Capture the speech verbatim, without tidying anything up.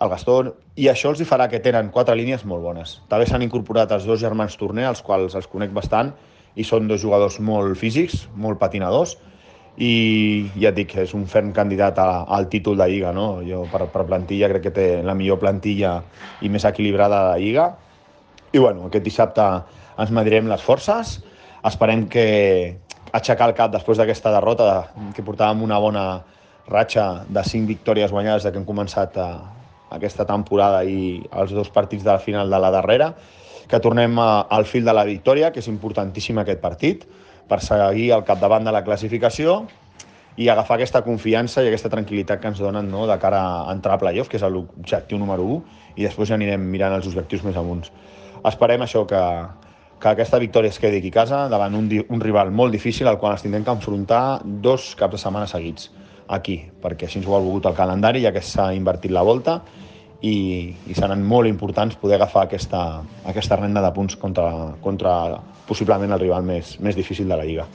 el Gastó, i això els hi farà que tenen quatre línies molt bones. També s'han incorporat els dos germans Torner, els quals els conec bastant, i són dos jugadors molt físics, molt patinadors, i ja et dic, és un ferm candidat a, al títol de Lliga, no? Jo per, per plantilla crec que té la millor plantilla i més equilibrada de la Lliga. I bueno, aquest dissabte ens medirem les forces, esperem que aixecar el cap després d'aquesta derrota, que portàvem una bona ratxa de cinc victòries guanyades de que hem començat a, aquesta temporada i els dos partits de la final de la darrera, que tornem a, al fil de la victòria, que és importantíssim aquest partit, per seguir al capdavant de la classificació i agafar aquesta confiança i aquesta tranquil·litat que ens donen, no?, de cara a entrar a playoff, que és l'objectiu número u, i després ja anirem mirant els objectius més amunt. Esperem això, que, que aquesta victòria es quedi aquí a casa davant un, un rival molt difícil al qual ens tindrem que enfrontar dos caps de setmana seguits aquí, perquè així ens ho ha volgut el calendari, ja que s'ha invertit la volta, i, i seran molt importants poder agafar aquesta, aquesta renda de punts contra, contra possiblement el rival més, més difícil de la Lliga.